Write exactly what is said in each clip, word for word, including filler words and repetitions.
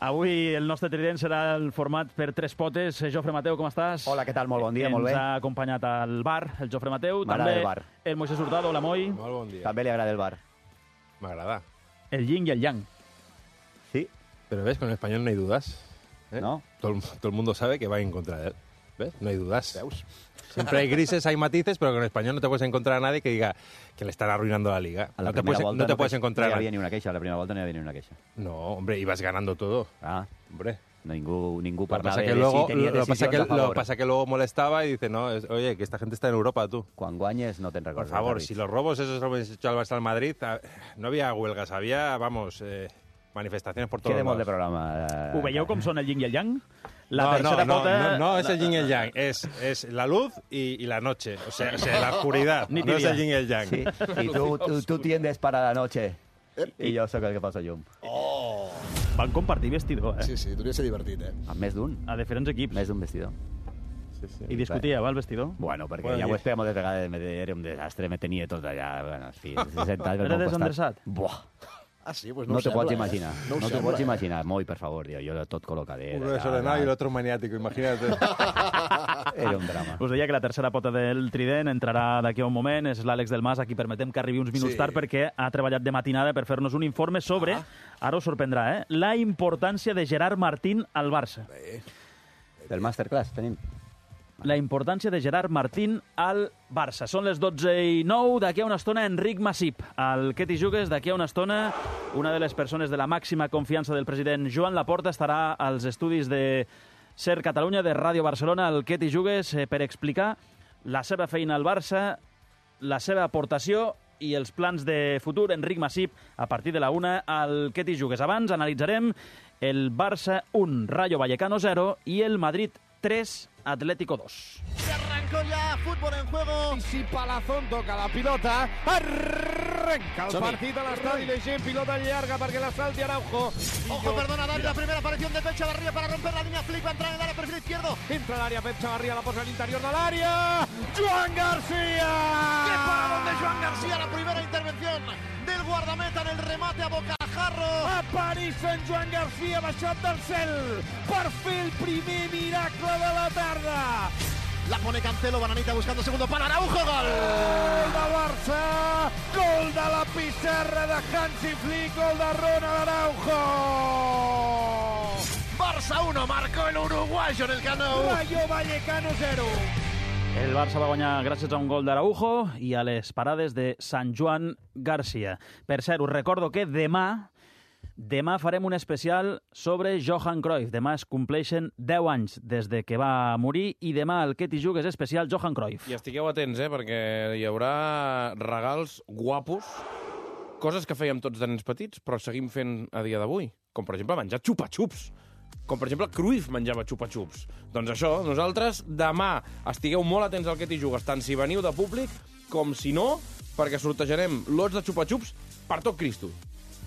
Avui el nostre trident serà el format per tres potes. Jofre Mateu, com estàs? Hola, què tal? Molt bon dia, molt bé. Ens ha acompanyat al bar, el Jofre Mateu. M'agrada També el bar. el Moisés Hurtado, hola Moi. Molt bon dia. També li agrada el bar. M'agrada. El yin y el yang. Sí, Pero ves, con el español no hay dudas. ¿eh? ¿no? Todo, el- todo el mundo sabe que va en contra de él. ¿Ves? No hay dudas. Siempre hay grises, hay matices, pero con el español no te puedes encontrar a nadie que diga que le están arruinando la liga. A la no te primera puedes, volta no te puedes no encontrar hi a havia ni una queixa, a la primera volta no hi havia ni una queixa. No, hombre, ibas ganando todo. Ah, Hombre. ningú, ningú Lo que parlava pasa de que si luego, tenia lo, lo pasa decisions que, a favor. lo pasa que luego molestaba y dice, no, es- oye, que esta gente está en Europa, tú. Quan guanyes no te'n Por recordes. favor, David. si los robos esos lo hubieses hecho al Barça al Madrid, a- no había huelgas, había, vamos, eh, manifestaciones por todos Quedem molt de lados. programa. eh, Ho veieu com són el yin i el yang? La no, tercera no, pota... no, no, es la- el yin y el yang, es, es la luz y, y la noche, o sea, o sea, la oscuridad, Ni no es tibia. el yin y el yang. Sí, i tu, tu, tu tiendes para la noche. I jo sóc el que posa llum. Van compartir vestidor, eh? Sí, sí, podria ser divertit, eh? Amb més d'un. A diferents equips. Més d'un vestidor. Sí, sí. I discutíeu, al vestidor? Bueno, perquè Bueno, ja i- ho expliquem moltes vegades, me- era un desastre, me tenia tot allà, bueno, en fi, sentat pel Era meu costat. desendreçat? Buah, Ah, sí? Pues no, no, no te ho pots sembla, imaginar, Eh? no, ho te sembla, pots eh? imaginar. Moi, per favor, tio, jo tot col·locadet. Uno desordenado y el otro maniático, imagínate. Era un drama. Us deia que la tercera pota del trident entrarà d'aquí a un moment, és l'Àlex del Mas, a qui permetem que arribi uns minuts Sí. tard perquè ha treballat de matinada per fer-nos un informe sobre, ara us sorprendrà, eh, la importància de Gerard Martín al Barça. Del masterclass tenim. La importància de Gerard Martín al Barça. Són les dotze i nou, d'aquí a una estona Enric Masip. Al Què t'hi jugues, d'aquí a una estona, una de les persones de la màxima confiança del president Joan Laporta estarà als estudis de Ser Catalunya, de Ràdio Barcelona, al Què t'hi jugues, eh, per explicar la seva feina al Barça, la seva aportació i els plans de futur. Enric Masip, a partir de la una, al Què t'hi jugues. Abans analitzarem el Barça un, Rayo Vallecano zero i el Madrid tres, Atlético dos. Se arrancó ya, fútbol en juego. Y si Palazón toca la pilota, arrenca el Som-hi. partit a l'estadi de gent, pilota llarga perquè la salti Araujo. Ojo, perdona, Dani, la primera aparición de Pep Chavarría para romper la línea. Flick va a entrar en el área, perfil izquierdo. Entra al área, Pep Chavarría la posa al interior del área. Joan ¡Qué García! paradón de Joan García! La primera intervención del guardameta en el remate a bocajarro. Apareixen Joan García baixat del cel per fer el primer miracle de la tarda. La pone Cancelo, Bananita buscando segundo para Araujo. Gol. Gol de Barça, gol de la pissarra de Hansi Flick, gol de Ronald Araujo. Barça uno, marcó el uruguayo en el Camp Nou. Rayo Vallecano zero. El Barça va guanyar gràcies a un gol d'Araujo i a les parades de Sant Joan Garcia. Per cert, us recordo que demà demà farem un especial sobre Johan Cruyff. Demà es compleixen deu anys des de que va morir i demà el Què t'hi jugues especial Johan Cruyff. I estigueu atents, eh, perquè hi haurà regals guapos, coses que fèiem tots de nens petits, però seguim fent a dia d'avui. Com, per exemple, menjar xupa-xups. Com, per exemple, Cruyff menjava xupa-xups. Doncs això, nosaltres demà estigueu molt atents al Què t'hi jugues, tant si veniu de públic com si no, perquè sortejarem lots de xupa-xups per tot Cristo.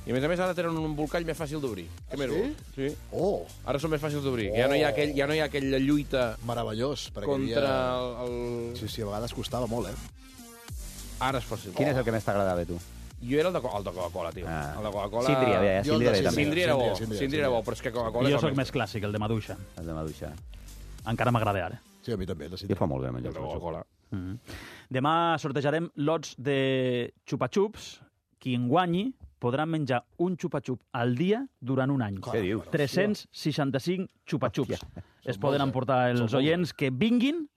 I, a més a més, ara tenen un embolcall més fàcil d'obrir. Què més vols? Sí. Oh, Ara són més fàcils d'obrir. Oh. Ja, no hi ha aquell, ja no hi ha aquella lluita meravellós. Perquè contra havia... el... el... Sí, sí, a vegades costava molt, eh? Ara és fàcil. Quin és el que més t'agradava a tu? Jo era el de, Co- el de Coca-Cola, tio. Ah. El de Coca-Cola... Síndria, bé, eh? Jo el de Síndria bé, Síndria. també. Síndria era bo, Síndria, Síndria, Síndria era bo, però és que Coca-Cola... I jo és el sóc més- més clàssic, el de Maduixa. El de Maduixa. Encara m'agrada ara. Sí, a mi també. La Jo fa molt bé, El menjar de Coca-Cola. Mm -hmm. Demà sortejarem lots de xupa-xups. Qui en guanyi podrà menjar un xupa-xup al dia durant un any. Què dius? tres-cents seixanta-cinc xupa-xups. Es Són poden molts, eh? emportar els Són molts, oients que vinguin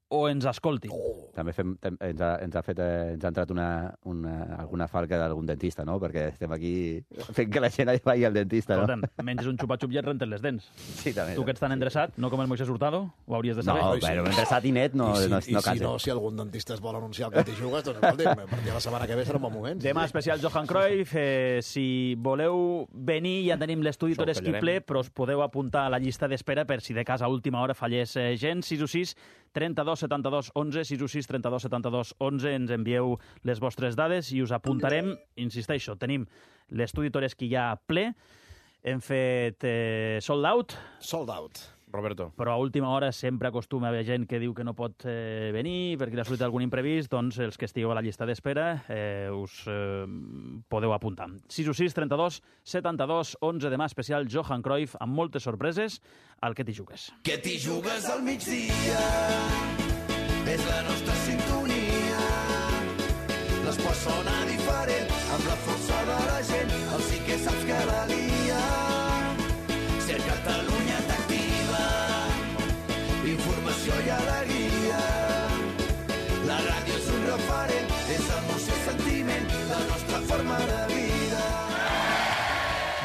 o ens escoltin. També fem, tem, ens, ha, ens, ha fet, eh, ens ha entrat una, una, alguna falca d'algun dentista, no? Perquè estem aquí fent que la gent vagi al dentista, no? Escolta'm, menges un xupa-xup i et rentes les dents. Sí, també. Tu que ets tan endreçat, no com el Moisés Hurtado, ho hauries de No, saber. però mentre i net no, I si, no, i no si casa. no, si algun dentista es vol anunciar el que t'hi jugues, doncs escolti, a partir de la setmana que ve serà un bon moment. Demà especial Johan Cruyff. Eh, si voleu venir, ja tenim l'estudi Això ho Toreski tallarem. ple, però us podeu apuntar a la llista d'espera per si de cas a última hora fallés eh, gent. sis u sis, trenta-dos, setanta-dos, onze, sis u sis, trenta-dos, setanta-dos, onze. Ens envieu les vostres dades i us apuntarem. Insisteixo, tenim l'estudi Toreski ja ple. Hem fet eh, sold out. Sold out. Roberto. Però a última hora sempre acostuma a haver gent que diu que no pot eh, venir perquè li ha sortit algun imprevist, doncs els que estigueu a la llista d'espera eh, us eh, podeu apuntar. sis u sis, trenta-dos, setanta-dos, onze demà especial Johan Cruyff amb moltes sorpreses al Que t'hi jugues. Que t'hi jugues al migdia és la nostra sintonia. L'esport sona diferent amb la força de la gent. El sí que saps que la lia. Ser Catalunya t'activa. Informació i alegria. La ràdio és un referent. És emoció i sentiment. La nostra forma de vida.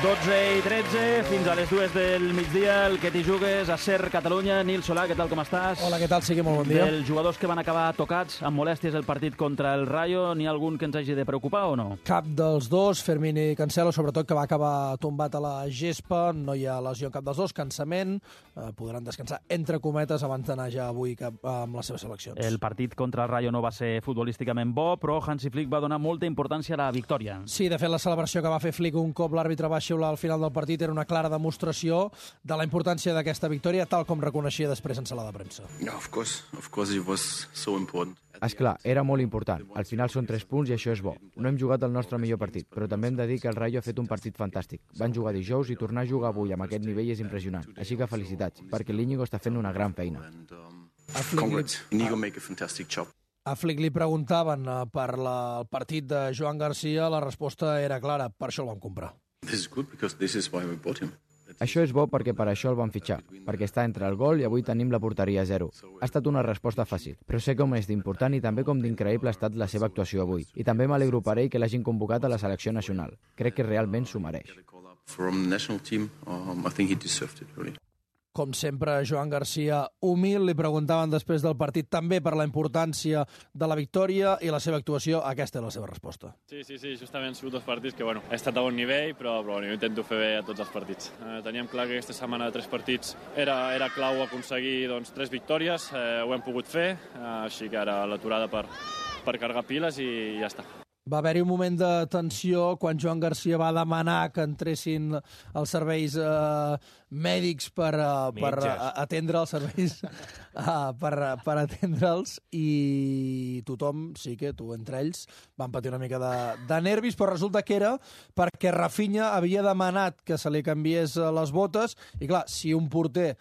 dotze i tretze, fins a les dues del migdia, el Que t'hi jugues a Ser Catalunya. Nil Solà, què tal, com estàs? Hola, què tal? Sí que molt bon dia. Dels jugadors que van acabar tocats amb molèsties el partit contra el Rayo, n'hi ha algun que ens hagi de preocupar o no? Cap dels dos, Fermín i Cancelo, sobretot, que va acabar tombat a la gespa, no hi ha lesió en cap dels dos, cansament, eh, podran descansar entre cometes abans d'anar ja avui cap, amb les seves seleccions. El partit contra el Rayo no va ser futbolísticament bo, però Hansi Flick va donar molta importància a la victòria. Sí, de fet, la celebració que va fer Flick un cop l'àrbitre va xiular al final del partit era una clara demostració de la importància d'aquesta victòria, tal com reconeixia després en sala de premsa. Yeah, of course, of course it was so important. Esclar, era molt important. Al final són tres punts i això és bo. No hem jugat el nostre millor partit, però també hem de dir que el Rayo ha fet un partit fantàstic. Van jugar dijous i tornar a jugar avui amb aquest nivell és impressionant. Així que felicitats, perquè l'Íñigo està fent una gran feina. Congrats, Íñigo make a fantastic job. A Flick li preguntaven uh, per la, el partit de Joan Garcia, la resposta era clara, per això el vam comprar. This is good because this is why we bought him. Això és bo perquè per això el vam fitxar, perquè està entre el gol i avui tenim la porteria a zero. Ha estat una resposta fàcil, però sé com és d'important i també com d'increïble ha estat la seva actuació avui. I també m'alegro per ell que l'hagin convocat a la selecció nacional. Crec que realment s'ho mereix. From the national team, um, I think he deserved it, really. Com sempre, Joan Garcia humil, li preguntaven després del partit també per la importància de la victòria i la seva actuació. Aquesta és la seva resposta. Sí, sí, sí, justament han sigut dos partits que, bueno, he estat a bon nivell, però, però bueno, jo intento fer bé a tots els partits. Eh, teníem clar que aquesta setmana de tres partits era, era clau aconseguir doncs, tres victòries, eh, ho hem pogut fer, eh, així que ara l'aturada per, per carregar piles i ja està. Va haver-hi un moment de tensió quan Joan Garcia va demanar que entressin els serveis eh, mèdics per, uh, per uh, atendre els serveis uh, per, per atendre'ls i tothom, sí que tu entre ells, van patir una mica de, de nervis, però resulta que era perquè Rafinha havia demanat que se li canviés les botes i clar, si un porter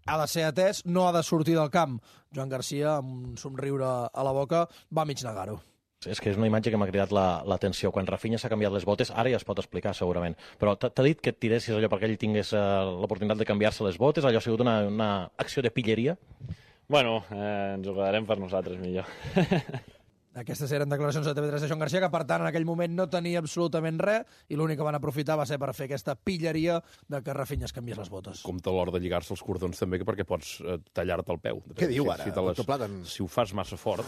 ha de ser atès, no ha de sortir del camp. Joan Garcia, amb un somriure a la boca, va mig negar-ho. És que és una imatge que m'ha cridat l'atenció. La, Quan Rafinha s'ha canviat les botes, ara ja es pot explicar segurament, però t'ha dit que et tiressis allò perquè ell tingués uh, l'oportunitat de canviar-se les botes? Allò ha sigut una, una acció de pilleria? Bueno, eh, ens ho quedarem per nosaltres millor. Aquestes eren declaracions de T V tres de Joan Garcia, que per tant en aquell moment no tenia absolutament res i l'únic que van aprofitar va ser per fer aquesta pilleria de que Rafinha es canviés les botes. Compte a l'hora de lligar-se els cordons també, perquè pots eh, tallar-te el peu. Què diu ara, si, si, les, Platan? si ho fas massa fort,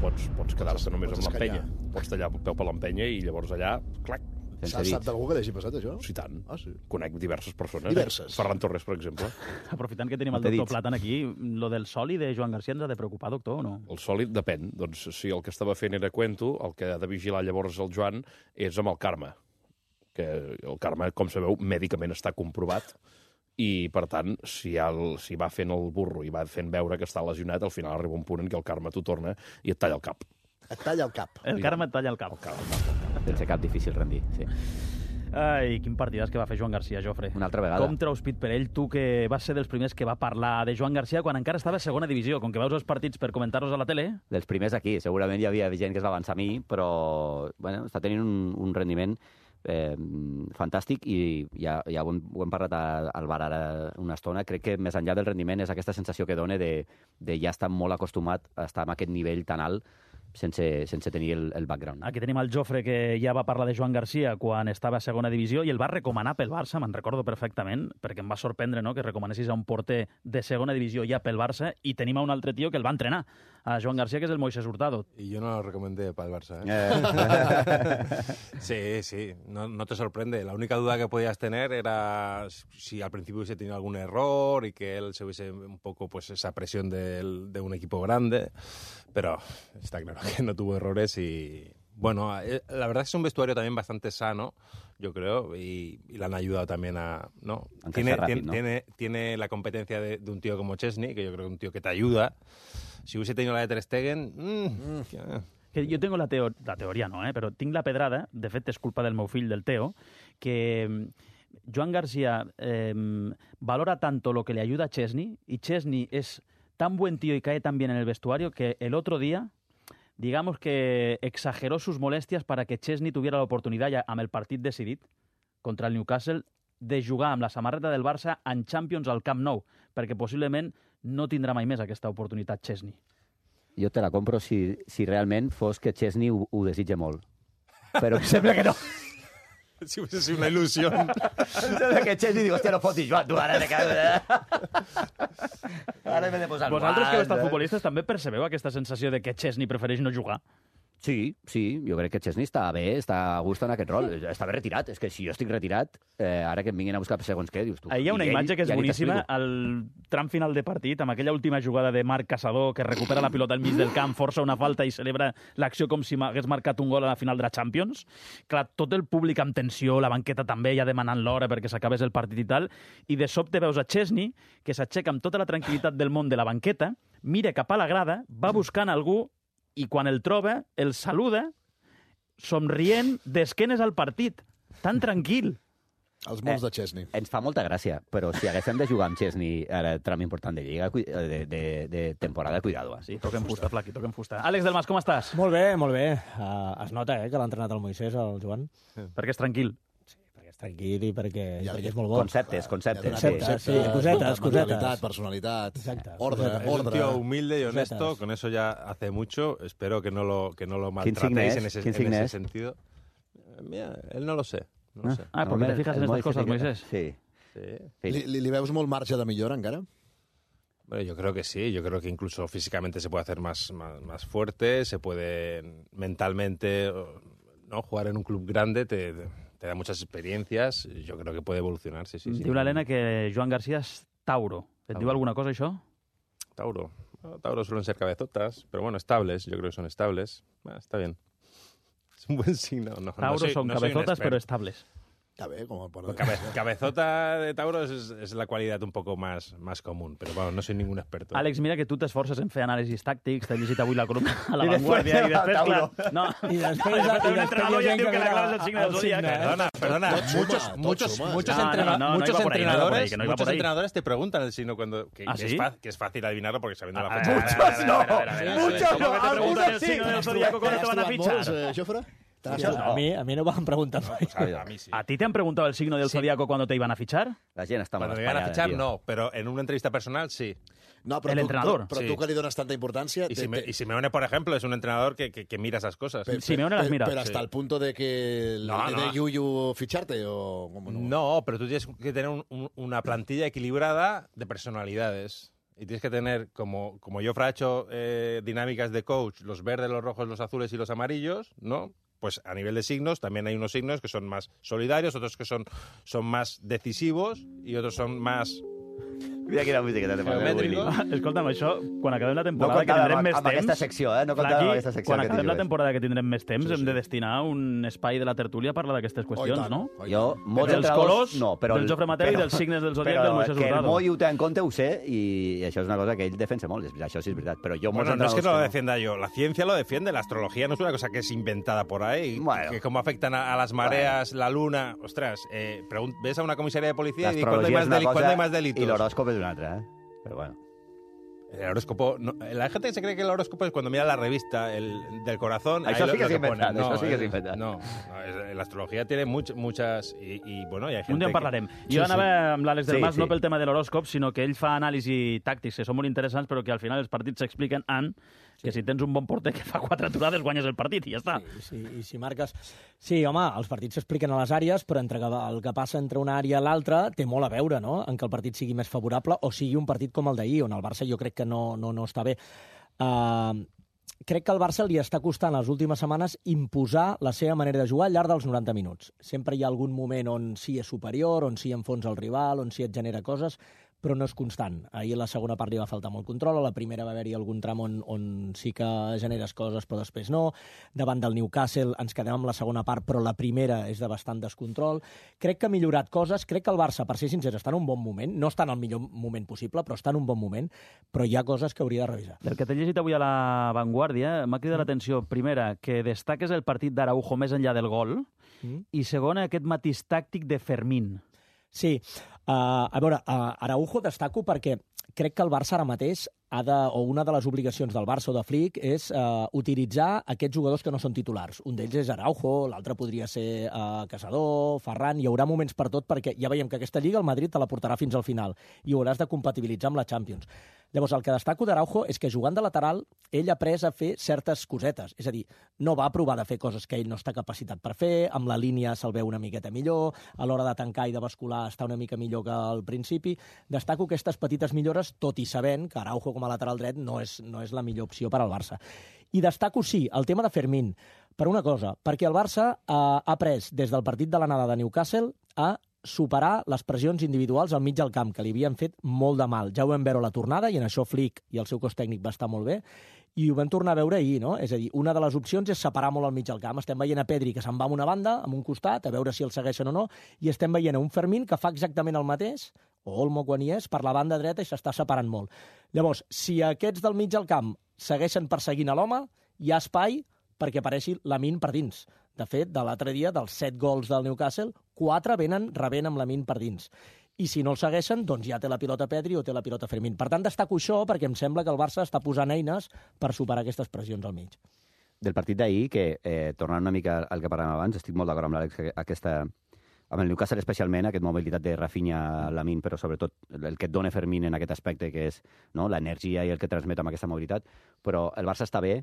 pots, pots quedar-te només amb l'empenya. Pots tallar el peu per l'empenya i llavors allà, clac. Sap, sap d'algú que l'hagi passat, això? Sí, tant. Ah, sí. Conec diverses persones. Diverses. Ferran Torres, per exemple. Aprofitant que tenim el doctor Platan aquí, lo del soli de Joan Garcia ens ha de preocupar, doctor, o no? El sòlid depèn. Doncs si el que estava fent era cuento, el que ha de vigilar llavors el Joan és amb el Carme. Que el Carme, com sabeu, mèdicament està comprovat i, per tant, si, el, si va fent el burro i va fent veure que està lesionat, al final arriba un punt en què el Carme t'ho torna i et talla el cap. Et talla el cap. El Carme et talla el cap. El cap, el cap, el cap. Sense cap difícil rendir, sí. Ai, quin partidàs que va fer Joan Garcia, Jofre. Una altra vegada. Com treus pit per ell, tu que vas ser dels primers que va parlar de Joan Garcia quan encara estava a segona divisió, com que veus els partits per comentar-los a la tele? Dels primers aquí. Segurament hi havia gent que es va avançar a mi, però bueno, està tenint un, un rendiment eh, fantàstic i ja, ja ho, hem, ho hem parlat al bar ara una estona. Crec que més enllà del rendiment és aquesta sensació que dona de, de ja estar molt acostumat a estar en aquest nivell tan alt sense, sense tenir el, el background. Aquí tenim el Jofre, que ja va parlar de Joan Garcia quan estava a segona divisió i el va recomanar pel Barça, me'n recordo perfectament, perquè em va sorprendre, no?, que recomanessis a un porter de segona divisió ja pel Barça, i tenim a un altre tio que el va entrenar, a Joan Garcia, que és el Moisés Hurtado. Y yo no lo recomendé para el Barça, ¿eh? Eh. Sí, sí, no, no te sorprende. La única duda que podías tener era si al principio hubiese tenido algún error y que él se hubiese un poco pues esa presión de, de un equipo grande, pero está claro que no tuvo errores y Bueno, eh, la verdad es que es un vestuario también bastante sano, yo creo, y, y le han ayudado también a... ¿no? Tiene, rápido, tiene, ¿no? tiene, tiene la competencia de, de un tío como Chesney, que yo creo que es un tío que te ayuda. Si hubiese tenido la de Ter Stegen... Mm, mm. Que jo tengo la, teo la teoria, no, eh? però tinc la pedrada, de fet és culpa del meu fill, del Teo, que Joan García eh, valora tanto lo que le ayuda a Chesney, y Chesney es tan buen tío y cae tan bien en el vestuario que el otro día, digamos que exageró sus molestias para que Chesney tuviera l'oportunitat, ja amb el partit decidit contra el Newcastle, de jugar amb la samarreta del Barça en Champions al Camp Nou, perquè possiblement no tindrà mai més aquesta oportunitat Chesney. Jo te la compro si, si realment fos que Chesney ho, ho desitja molt. Però sembla que no. Si hubiese sido una ilusión. Sembla que Chesney diu, hòstia, no fotis, Joan, tu ara te caus... Ara m'he de posar el Vosaltres que heu estat guant, eh? futbolistes també percebeu aquesta sensació de que Chesney prefereix no jugar? Sí, sí, jo crec que Chesney està bé, està a gust en aquest rol. Està bé retirat, és que si jo estic retirat, eh, ara que em vinguin a buscar segons què, dius tu... Ahir hi ha una ell, imatge que és ja boníssima, al tram final de partit, amb aquella última jugada de Marc Caçador, que recupera la pilota al mig del camp, força una falta i celebra l'acció com si hagués marcat un gol a la final de la Champions. Clar, tot el públic amb tensió, la banqueta també, ja demanant l'hora perquè s'acabés el partit i tal, i de sobte veus a Chesney, que s'aixeca amb tota la tranquil·litat del món de la banqueta, mira cap a la grada, va buscant algú, i quan el troba, el saluda, somrient d'esquenes al partit. Tan tranquil. Els molts de Chesney. Ens fa molta gràcia, però si haguéssim de jugar amb Chesney ara tram important de Lliga, de, de, de temporada, cuidado. Sí, toquem fusta, Flaqui, toquem fusta. Àlex del Mas, com estàs? Molt bé, molt bé. Uh, es nota eh, que l'ha entrenat el Moisès, el Joan. Perquè és tranquil. Sí, perquè és tranquil i perquè, Ja, perquè és molt bo. Conceptes, conceptes. Conceptes, sí, cosetes, Manualitat, cosetes. personalitat, Exacte. ordre, Cosetes. Es un ordre. tío humilde y honesto, Cosetas. con eso ya hace mucho. Espero que no lo, que no lo ¿Quién signe maltratéis es? en ese, ¿Quién en signe ese es? sentido. Eh, Mira, él no lo sé. No lo sé. Ah, perquè te fijas en estas cosas, Moisés. Sí. Sí. Li, li, li veus molt marge de millora encara? Bueno, yo creo que sí, yo creo que incluso físicamente se puede hacer más, más, más fuerte, se puede mentalmente, ¿no? Jugar en un club grande te, te da muchas experiencias, yo creo que puede evolucionar, sí, sí. sí. Diu l'Helena que Joan García és Tauro. Et Tauro. diu alguna cosa, això? Tauro. Bueno, Tauro suelen ser cabezotas, pero bueno, estables, yo creo que son estables. Bueno, está bien. Es un buen signo. No, Tauro no soy, son no soy un cabezotas, experto. pero estables. Està bé, com el Pues cabe- cabezota de Tauro es, es la cualidad un poco más, más común, pero bueno, no soy ningún experto. Àlex, mira que tu t'esforces en fer anàlisis tàctics, t'he llegit avui la columna a La I després Vanguardia, i després, Tauro. clar, no. I després, Després i un després entrenador hi ja ha em diu gent que que la clave mira és el signe del el zodiac. signe, eh? Perdona, perdona, Tot suma, muchos, tot muchos, suma. muchos, No, no, entrena- no, no, no muchos iba por ahí, no iba por ahí, entrenadores, que no iba muchos por ahí. entrenadores te preguntan el signo cuando que, ¿Ah, que sí? es fa- que es fácil adivinarlo porque sabiendo la A fecha. ver, a ver, a ver, a ver, a ver, a ver, a ver. Muchos ¿Cómo no, que te preguntan el algunos sí. signo del zodiaco cuando te van a fichar? Molts, eh, Jofre? ¿Te has Això, trobat? a, mi, a mi no van preguntar mai. A mí sí. ¿A ti te han preguntado el signo del zodiaco cuando te iban a fichar? La gent està Cuando molt me iban a espaiada, fichar, tio. no, pero en una entrevista personal, sí. No, però El tu, entrenador. Però, però Sí. tu que li dones tanta importància... Y, te- Sime- te- y Simeone, por ejemplo, es un entrenador que, que, que mira esas cosas. pe- pe- Simeone las pe- mira. Pero hasta Sí. el punto de que le, No, le no. dé yuyu ficharte o... ¿cómo no? No, pero tú tienes que tener un- un- una plantilla equilibrada de personalidades. Y tienes que tener, como, como Jofre ha hecho eh, dinámicas de coach, los verdes, los rojos, los azules y los amarillos, ¿no? Pues a nivel de signos también hay unos signos que son más solidarios, otros que son, son más decisivos y otros son más... Mira quina musiqueta te posa, Willy. Geomètrico. Escolta'm, això, quan acabem la No temporada, que comptava tindrem amb, més amb temps... aquesta secció, eh? No comptava Flaqui, amb aquesta secció quan que acabem la dius. temporada que tindrem més temps, Sí, hem sí. de destinar un espai de la tertúlia a parlar d'aquestes qüestions, tant. no? Oh, i Jo, tant. molts Dels entrenadors, colors no, però, del Jofre Mateu i dels signes del zodiac però del Moisés que el Hurtado. Moi ho té en compte, ho sé, i això és una cosa que ell defensa molt, és- això sí és veritat. Però jo, molts Bueno, no es que no lo entrenadors defienda yo, la ciencia lo defiende, la astrología no es una cosa que es inventada por ahí, Bueno. que cómo afectan a, a las mareas, la luna, ostras, eh, pregun- ves a una comisaría de policía y di, ¿cuándo hay, l'astrologia más és una deli- ¿cuándo cosa hay más delitos? i l'horòscop és una altra, eh? Però bueno. El horóscopo, no, la gente que se cree que el horóscopo es cuando mira la revista el, del corazón. Això ahí sí que lo és pone. inventat, No, això sí que és eh, inventat. No, no, es- la astrología tiene much, muchas y, y, bueno, y hay gente Un dia en que- parlarem. Sí, Jo sí. anava amb l'Àlex del Sí, Mas sí. no pel tema de l'horòscop, sinó que ell fa anàlisi tàctics que són molt interessants, però que al final els partits s'expliquen en que si tens un bon porter que fa quatre aturades guanyes el partit i ja està. Sí, sí, i si marques... Sí, home, els partits s'expliquen a les àrees, però entre que el que passa entre una àrea i l'altra té molt a veure, no?, en que el partit sigui més favorable o sigui un partit com el d'ahir, on el Barça jo crec que no, no, no està bé. Uh, crec que al Barça li està costant les últimes setmanes imposar la seva manera de jugar al llarg dels noranta minuts. Sempre hi ha algun moment on sí és superior, on sí enfonsa el rival, on sí et genera coses, però no és constant. Ahir a la segona part li va faltar molt control, a la primera va haver-hi algun tram on, on sí que generes coses, però després no. Davant del Newcastle ens quedem amb la segona part, però la primera és de bastant descontrol. Crec que ha millorat coses, crec que el Barça, per ser sincer, està en un bon moment, no està en el millor moment possible, però està en un bon moment, però hi ha coses que hauria de revisar. Del que t'he llegit avui a la Vanguardia, m'ha cridat mm. l'atenció, primera, que destaques el partit d'Araujo més enllà del gol, mm. i segona, aquest matís tàctic de Fermín. Sí, uh, a veure, uh, Araujo destaco perquè crec que el Barça ara mateix ha de, o una de les obligacions del Barça o de Flick és uh, utilitzar aquests jugadors que no són titulars. Un d'ells és Araujo, l'altre podria ser uh, Casador, Ferran, hi haurà moments per tot perquè ja veiem que aquesta Lliga el Madrid te la portarà fins al final i ho hauràs de compatibilitzar amb la Champions. Llavors, el que destaco d'Araujo és que jugant de lateral ell ha après a fer certes cosetes. És a dir, no va provar de fer coses que ell no està capacitat per fer, amb la línia se'l veu una miqueta millor, a l'hora de tancar i de bascular està una mica millor que al principi. Destaco aquestes petites millores, tot i sabent que Araujo com a lateral dret no és, no és la millor opció per al Barça. I destaco, sí, el tema de Fermín, per una cosa, perquè el Barça eh, ha après des del partit de l'anada de Newcastle a superar les pressions individuals al mig del camp, que li havien fet molt de mal. Ja ho vam veure a la tornada, i en això Flick i el seu cos tècnic va estar molt bé, i ho vam tornar a veure ahir, no? És a dir, una de les opcions és separar molt al mig del camp. Estem veient a Pedri que se'n va a una banda, a un costat, a veure si el segueixen o no, i estem veient a un Fermín que fa exactament el mateix, o Olmo quan hi és, per la banda dreta i s'està separant molt. Llavors, si aquests del mig del camp segueixen perseguint a l'home, hi ha espai perquè apareixi Lamine per dins. De fet, de l'altre dia, dels set gols del Newcastle, quatre venen rebent amb Lamine per dins. I si no el segueixen, doncs ja té la pilota Pedri o té la pilota Fermín. Per tant, destaco això perquè em sembla que el Barça està posant eines per superar aquestes pressions al mig. Del partit d'ahir, que eh, tornant una mica al que parlàvem abans, estic molt d'acord amb l'Àlex, aquesta, amb el Newcastle especialment, aquesta mobilitat de Rafinha a Lamine, però sobretot el que et dona Fermín en aquest aspecte, que és, no, l'energia i el que transmet amb aquesta mobilitat. Però el Barça està bé.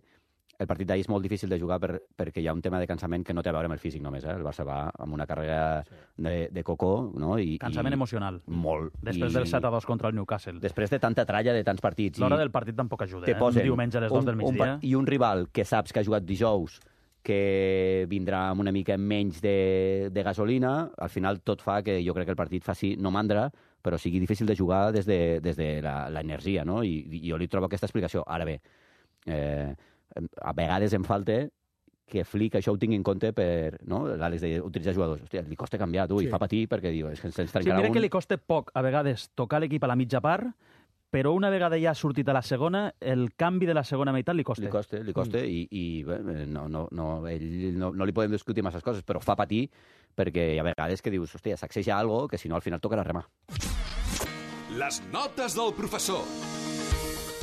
El partit d'ahir és molt difícil de jugar per, perquè hi ha un tema de cansament que no té a veure amb el físic només. Eh? El Barça va amb una carrera de, de cocó. No? I, cansament i emocional. Molt. Després I, del set a dos contra el Newcastle. Després de tanta tralla de tants partits. L'hora del partit tampoc ajuda. Eh? Un diumenge a les dos del migdia. Un, I un rival que saps que ha jugat dijous, que vindrà amb una mica menys de, de gasolina, al final tot fa que jo crec que el partit faci no mandra, però sigui difícil de jugar des de, des de l'energia, no? I, I jo li trobo aquesta explicació. Ara bé, eh, a vegades em falta que Flick això ho tingui en compte per, no? L'Àlex d'utilitzar jugadors. Hòstia, li costa canviar, tu, sí. I fa patir perquè diu, és que se'ns trencarà sí, mira un... que li costa poc a vegades tocar l'equip a la mitja part, però una vegada ja ha sortit a la segona, el canvi de la segona meitat li costa. Li costa, li costa, mm. i, i bé, no, no, no, ell, no, no li podem discutir masses coses, però fa patir perquè hi ha vegades que dius, hòstia, sacseja algo que si no al final tocarà remar. Les notes del professor.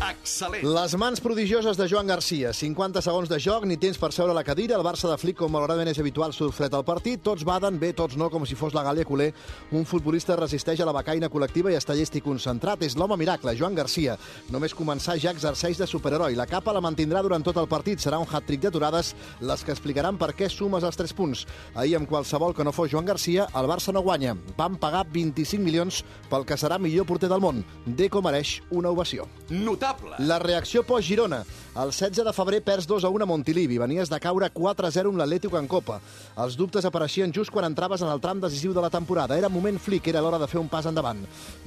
Excel·lent. Les mans prodigioses de Joan Garcia. cinquanta segons de joc, ni temps per seure a la cadira. El Barça de Flick, com malauradament és habitual, surt fred al partit. Tots baden, bé, tots no, com si fos la Gàlia Culer. Un futbolista resisteix a la becaina col·lectiva i està llest i concentrat. És l'home miracle, Joan Garcia. Només començar ja exerceix de superheroi. La capa la mantindrà durant tot el partit. Serà un hat-trick d'aturades les que explicaran per què sumes els tres punts. Ahir, amb qualsevol que no fos Joan Garcia, el Barça no guanya. Van pagar vint-i-cinc milions pel que serà millor porter del món. Deco mereix una ovació. Notable. La reacció post-Girona. El setze de febrer perds dos a un a Montilivi. Venies de caure quatre a zero amb l'Atlético en Copa. Els dubtes apareixien just quan entraves en el tram decisiu de la temporada. Era moment Flick, era l'hora de fer un pas endavant.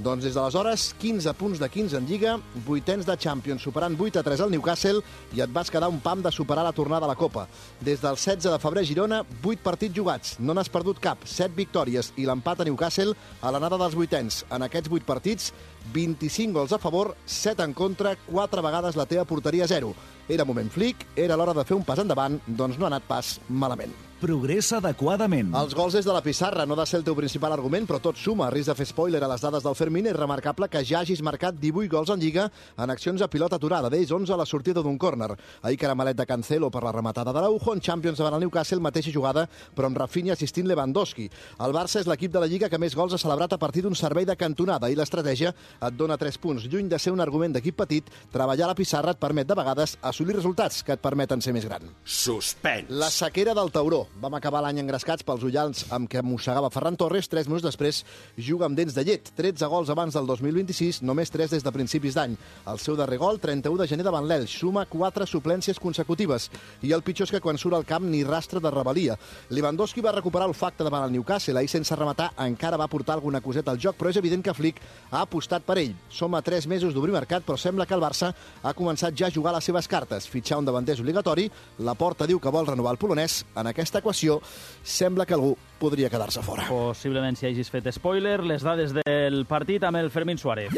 Doncs des d'aleshores, quinze punts de quinze en Lliga, vuitens de Champions, superant vuit a tres al Newcastle, i et vas quedar un pam de superar la tornada a la Copa. Des del setze de febrer a Girona, vuit partits jugats. No n'has perdut cap, set victòries i l'empat a Newcastle a l'anada dels vuitens. En aquests vuit partits, vint-i-cinc gols a favor, set en contra, quatre vegades la teva porteria a zero. Era moment Flick, era l'hora de fer un pas endavant, doncs no ha anat pas malament. Progressa adequadament. Els gols des de la pissarra no ha de ser el teu principal argument, però tot suma. A risc de fer spoiler a les dades del Fermín, és remarcable que ja hagis marcat divuit gols en Lliga en accions a pilota aturada, d'ells onze a la sortida d'un córner. Ahir caramelet de Cancelo per la rematada d'Araujo, en Champions davant el Newcastle, mateixa jugada, però amb Rafinha assistint Lewandowski. El Barça és l'equip de la Lliga que més gols ha celebrat a partir d'un servei de cantonada, i l'estratègia et dona tres punts. Lluny de ser un argument d'equip petit, treballar a la pissarra et permet de vegades assolir resultats que et permeten ser més gran. Suspens. La sequera del Tauró. Vam acabar l'any engrescats pels ullals amb què mossegava Ferran Torres. Tres mesos després juga amb dents de llet. tretze gols abans del dos mil vint-i-sis, només tres des de principis d'any. El seu darrer gol, trenta-u de gener davant l'Elx, suma quatre suplències consecutives. I el pitjor és que quan surt al camp ni rastre de rebel·lia. Lewandowski va recuperar olfacte davant el Newcastle. Ahir, sense rematar, encara va portar alguna coseta al joc, però és evident que Flick ha apostat per ell. Som a tres mesos d'obrir mercat, però sembla que el Barça ha començat ja a jugar les seves cartes. Fitxar un davanter és obligatori. La Porta diu que vol renovar el polonès. En aquesta equació sembla que algú podria quedar-se fora. Possiblement si hagis fet spoiler, les dades del partit amb el Fermín Suárez.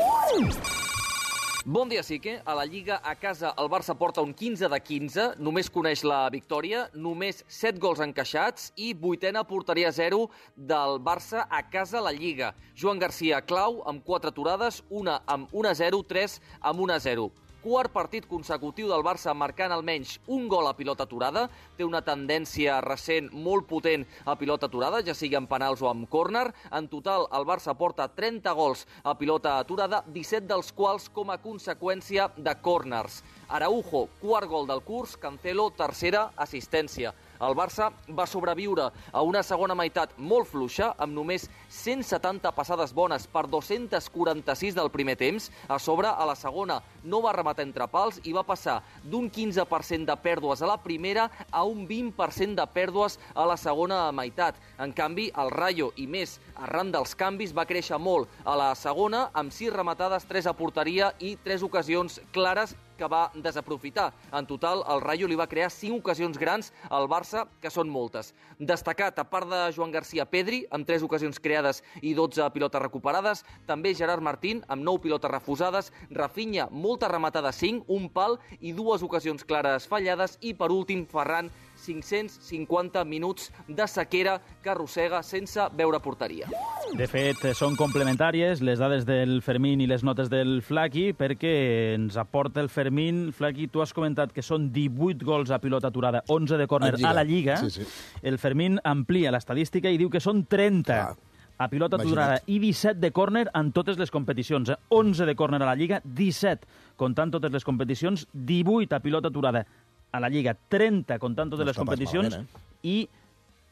Bon dia, Sique. A la Lliga a casa el Barça porta un quinze de quinze, només coneix la victòria, només set gols encaixats i vuitena porteria zero del Barça a casa a la Lliga. Joan Garcia clau amb quatre aturades, una amb un a zero, tres amb un a zero. Quart partit consecutiu del Barça marcant almenys un gol a pilota aturada. Té una tendència recent molt potent a pilota aturada, ja sigui amb penals o amb córner. En total, el Barça porta trenta gols a pilota aturada, disset dels quals com a conseqüència de córners. Araujo, quart gol del curs, Cancelo, tercera assistència. El Barça va sobreviure a una segona meitat molt fluixa, amb només cent setanta passades bones per dos-cents quaranta-sis del primer temps. A sobre, a la segona, no va rematar entre pals i va passar d'un quinze per cent de pèrdues a la primera a un vint per cent de pèrdues a la segona meitat. En canvi, el Rayo, i més arran dels canvis, va créixer molt a la segona, amb sis rematades, tres a porteria i tres ocasions clares que va desaprofitar. En total, el Rayo li va crear cinc ocasions grans al Barça, que són moltes. Destacat, a part de Joan Garcia, Pedri, amb tres ocasions creades i dotze pilotes recuperades, també Gerard Martín, amb nou pilotes refusades, Rafinha, molta rematada, cinc, un pal i dues ocasions clares fallades, i per últim, Ferran, cinc-cents cinquanta minuts de sequera que arrossega sense veure porteria. De fet, són complementàries les dades del Fermín i les notes del Flaqui, perquè ens aporta el Fermín. Flaqui, tu has comentat que són divuit gols a pilota aturada, onze de córner a la Lliga. Sí, sí. El Fermín amplia l'estadística i diu que són trenta a pilota aturada i disset de córner en totes les competicions. Eh? onze de córner a la Lliga, disset comptant totes les competicions, divuit a pilota aturada a la Lliga, trenta comptant totes les competicions, malament, eh? i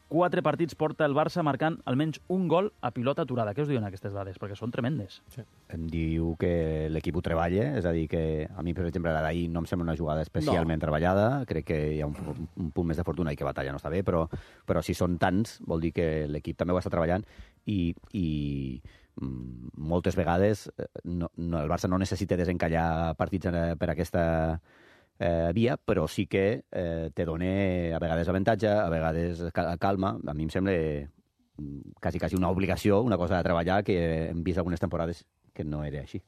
quatre partits porta el Barça marcant almenys un gol a pilota aturada. Què us diuen aquestes dades? Perquè són tremendes. Sí. Em diu que l'equip ho treballa, és a dir, que a mi, per exemple, la d'ahir no em sembla una jugada especialment no. treballada. Crec que hi ha un, un punt més de fortuna i que batalla no està bé, però, però si són tants, vol dir que l'equip també ho està treballant i... i moltes vegades no, no, el Barça no necessita desencallar partits per aquesta eh, via, però sí que eh, te dona a vegades avantatge, a vegades calma. A mi em sembla quasi, quasi una obligació, una cosa de treballar que hem vist algunes temporades que no era així.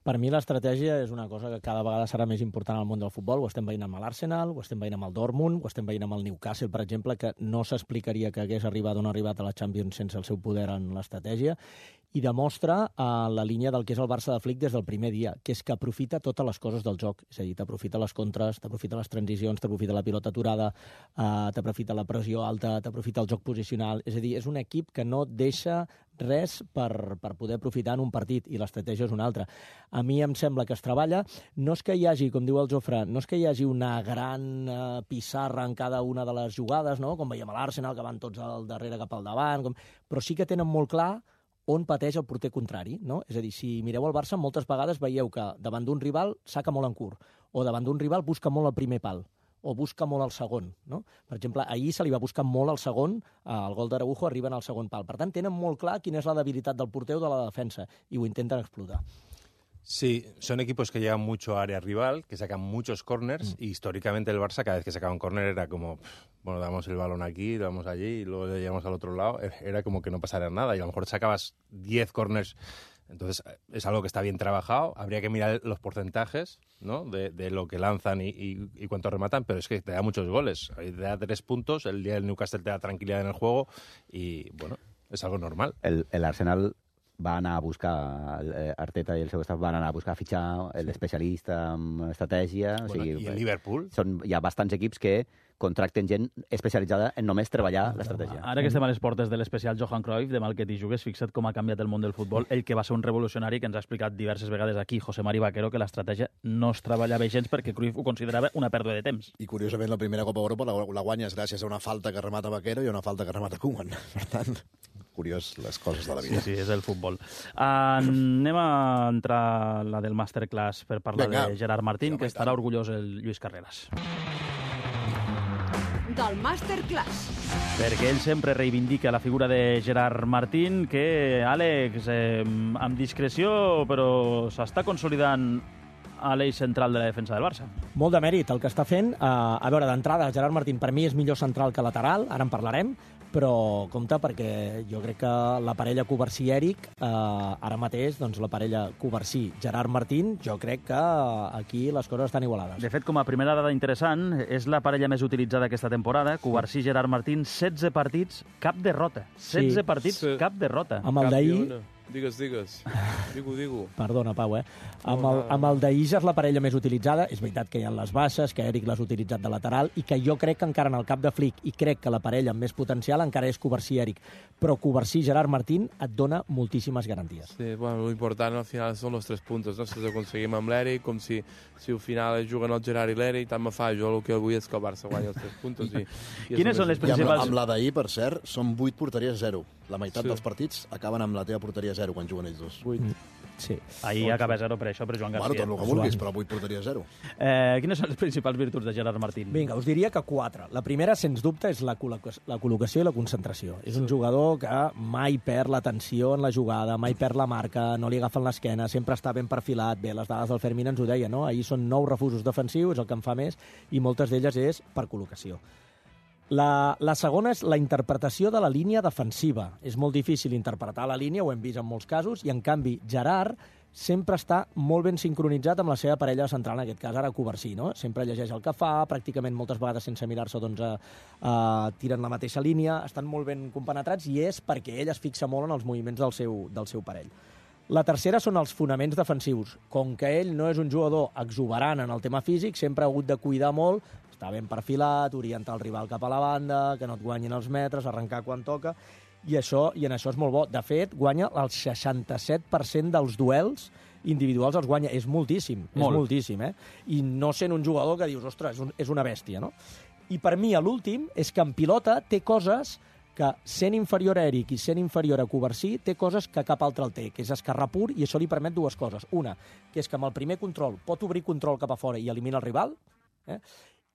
Per mi l'estratègia és una cosa que cada vegada serà més important al món del futbol. Ho estem veient amb l'Arsenal, ho estem veient amb el Dortmund, ho estem veient amb el Newcastle, per exemple, que no s'explicaria que hagués arribat o no arribat a la Champions sense el seu poder en l'estratègia, i demostra uh, la línia del que és el Barça de Flick des del primer dia, que és que aprofita totes les coses del joc. És a dir, t'aprofita les contres, t'aprofita les transicions, t'aprofita la pilota aturada, uh, t'aprofita la pressió alta, t'aprofita el joc posicional. És a dir, és un equip que no deixa res per, per poder aprofitar en un partit, i l'estratègia és una altra. A mi em sembla que es treballa. No és que hi hagi, com diu el Jofre, no és que hi hagi una gran uh, pissarra en cada una de les jugades, no? Com veiem a l'Arsenal, que van tots al darrere cap al davant, com... però sí que tenen molt clar on pateix el porter contrari, no? És a dir, si mireu el Barça, moltes vegades veieu que davant d'un rival saca molt en curt, o davant d'un rival busca molt el primer pal, o busca molt el segon, no? Per exemple, ahir se li va buscar molt el segon, el gol d'Araujo arriba en el segon pal. Per tant, tenen molt clar quina és la debilitat del porter o de la defensa, i ho intenten explotar. Sí, son equipos que llegan mucho a área rival, que sacan muchos corners, mm. y históricamente el Barça, cada vez que sacaba un córner era como, pff, bueno, damos el balón aquí, lo damos allí, y luego llegamos al otro lado, era como que no pasara nada, y a lo mejor sacabas diez corners. Entonces, es algo que está bien trabajado. Habría que mirar los porcentajes, ¿no? de, de lo que lanzan y, y, y cuánto rematan, pero es que te da muchos goles. Te da tres puntos, el día del Newcastle te da tranquilidad en el juego y, bueno, es algo normal. El, el Arsenal va anar a buscar, Arteta i el seu staff van anar a buscar a fitxar l'especialista en estratègia. Bueno, o sigui, I el Liverpool? Són, hi ha bastants equips que contracten gent especialitzada en només treballar l'estratègia. Ara que estem a les portes de l'especial Johan Cruyff, de mal que t'hi jugues, fixa't com ha canviat el món del futbol. Ell que va ser un revolucionari, que ens ha explicat diverses vegades aquí, José Mari Vaquero, que l'estratègia no es treballava gens perquè Cruyff ho considerava una pèrdua de temps. I curiosament la primera Copa Europa la, la guanyes gràcies a una falta que remata Vaquero i a una falta que remata Koeman. Per tant, curiós les coses de la vida. Sí, sí, és el futbol. Anem a entrar la del masterclass per parlar Venga. de Gerard Martín, que estarà orgullós el Lluís Carreras. Del Masterclass. Perquè ell sempre reivindica la figura de Gerard Martín, que, Àlex, eh, amb discreció, però s'està consolidant a l'eix central de la defensa del Barça. Molt de mèrit el que està fent. Uh, a veure, d'entrada, Gerard Martín per mi és millor central que lateral, ara en parlarem, però compte perquè jo crec que la parella Covarsí-Èric, eh, ara mateix, doncs la parella Covarsí-Gerard Martín, jo crec que aquí les coses estan igualades. De fet, com a primera dada interessant, és la parella més utilitzada aquesta temporada, Covarsí-Gerard Martín, setze partits, cap derrota. setze sí. partits, sí. cap derrota. Amb el d'ahir... Digues, digues. Digo, digo. Perdona, Pau, eh? Amb el, amb el d'ahir és la parella més utilitzada. És veritat que hi ha les baixes, que Èric l'has utilitzat de lateral, i que jo crec que encara en el cap de Flick, i crec que la parella amb més potencial encara és Covarsí-Èric. Però Covarsí-Gerard Martín et dona moltíssimes garanties. Sí, bueno, lo important al final són los tres puntos, no? Si els aconseguim amb l'Èric, com si, si al final juguen el Gerard i l'Èric, tant me fa. Jo el que vull és que el Barça guanyi els tres puntos. I, i Quines són les principals... Amb, amb la d'ahir, per cert, són vuit porteries a zero. La meitat sí. dels partits acaben amb la teva porteria a zero quan juguen ells dos. vuit. Sí. Ahir acaba zero per això, per Joan García. Bueno, tot el que vulguis, però vuit porteria a zero. Eh, quines són les principals virtuts de Gerard Martín? Vinga, us diria que quatre. La primera, sens dubte, és la, col·locació, la col·locació i la concentració. És un jugador que mai perd l'atenció en la jugada, mai perd la marca, no li agafen l'esquena, sempre està ben perfilat. Bé, les dades del Fermín ens ho deia, no? Ahir són nou refusos defensius, el que en fa més, i moltes d'elles és per col·locació. La, la segona és la interpretació de la línia defensiva. És molt difícil interpretar la línia, ho hem vist en molts casos, i en canvi Gerard sempre està molt ben sincronitzat amb la seva parella central, en aquest cas ara Covarsí, no? Sempre llegeix el que fa, pràcticament moltes vegades sense mirar-se doncs, a, a, tiren la mateixa línia, estan molt ben compenetrats i és perquè ell es fixa molt en els moviments del seu, del seu parell. La tercera són els fonaments defensius. Com que ell no és un jugador exuberant en el tema físic, sempre ha hagut de cuidar molt, està ben perfilat, orientar el rival cap a la banda, que no et guanyin els metres, arrencar quan toca, i, això, i en això és molt bo. De fet, guanya el seixanta-set per cent dels duels individuals els guanya. És moltíssim, molt. és moltíssim, eh? I no sent un jugador que dius, ostres, és, un, és una bèstia, no? I per mi, l'últim, és que en pilota té coses que, sent inferior a Èric i sent inferior a Covarsí, té coses que cap altre el té, que és esquerrà pur, i això li permet dues coses. Una, que és que amb el primer control pot obrir control cap a fora i elimina el rival, eh?